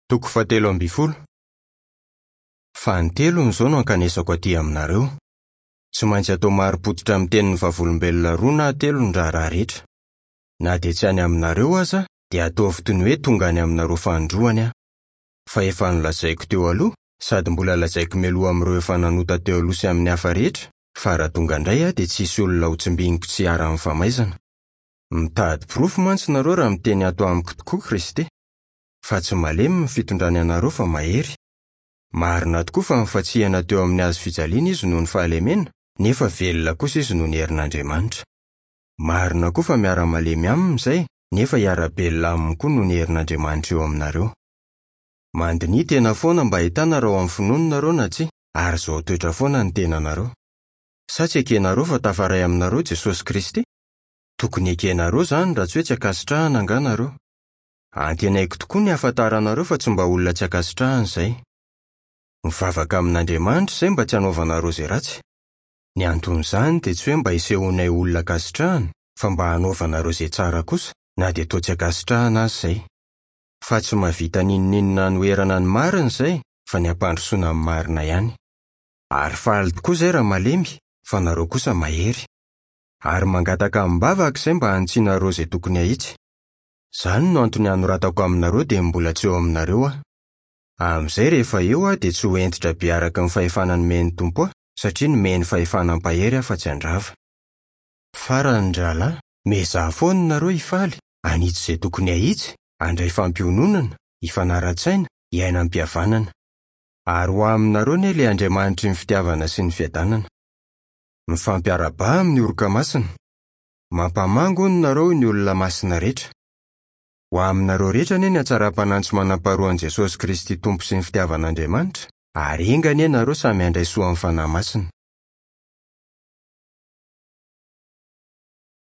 Toko fahatelo ambin'ny folo. Fanintelony izao no ankanesako aty aminareo. Tsy maintsy atao marim-pototra amin'ny tenin'ny vavolombelona roa na telo ny raharaha rehetra. Na dia tsy any aminareo aza, dia ataovy toy ny hoe tonga any aminareo fanindroany aho. Fa efa nolazaiko teo aloha, sady mbola lazaiko mialoha amin'ireo efa nanota teo aloha sy amin'ny hafa rehetra, fa raha tonga indray aho dia tsy hisy olona hotsimbiniko tsy hiharan'ny famaizana. Mitady porofo mantsy nareo raha miteny ato amiko tokoa Kristy. Fa tsy malemy ny fitondrany anareo fa mahery. Marina tokoa fa nifantsihana teo amin'ny hazo fijaliana izy noho ny fahalemena, nefa velona kosa izy noho ny herin'Andriamanitra. Marina koa fa miara-malemy aminy izay, nefa hiara-belona aminy koa noho ny herin'Andriamanitra eo aminareo. Mandiniha tena foana mba hahitana raha ao amin'ny finoana nareo na tsia, ary izao toetra foana ny tenanareo. Sa tsy ekenareo fa tafaray aminareo Jesosy Kristy? Tokony hekenareo izany raha tsy hoe tsy ankasitrahana angaha nareo. Antenaiko tokoa ny hahafantaranareo fa tsy mba olona tsy ankasitrahana izay. Mivavaka amin'Andriamanitra izay mba tsy hanaovanareo izay ratsy. Ny anton'izany dia tsy hoe mba hisehoanay olona ankasitrahana fa mba hanaovanareo izay tsara kosa na dia toa tsy ankasitrahana aza izay. Fa tsy mahavita n'inon'inona hanoherana ny marina izay fa ny hampandrosoana ny marina ihany. Ary faly tokoa izay raha malemy fa nareo kosa mahery. Ary mangataka amim-bavaka izay mba hanitsianareo izay tokony hahitsy. Izany no antony anoratako aminareo dia mbola tsy eo aminareo aho. Amin'izay rehefa eo aho dia tsy ho hentitra be araka ny fahefana nomen'ny Tompo ahy, satria nomeny fahefana hampahery aho fa tsy handrava. Farany ry rahalahy, miezaha foana nareo hifaly, hanitsy izay tokony hahitsy, handray fampiononana, hifanara-tsaina, hiaina am-pihavanana. Ary ho aminareo anie ilay Andriamanitry ny fitiavana sy ny fiadanana. Mifampiarahabaha amin'ny oroka masina. Mampamangy hono nareo ny olona masina rehetra. Ho aminareo rehetra anie ny hatsaram-panahy tsy manam-paharoan'i Jesosy Kristy Tompo sy ny fitiavan'Andriamanitra, ary enga anie nareo samy handray soa amin'ny Fanahy Masina.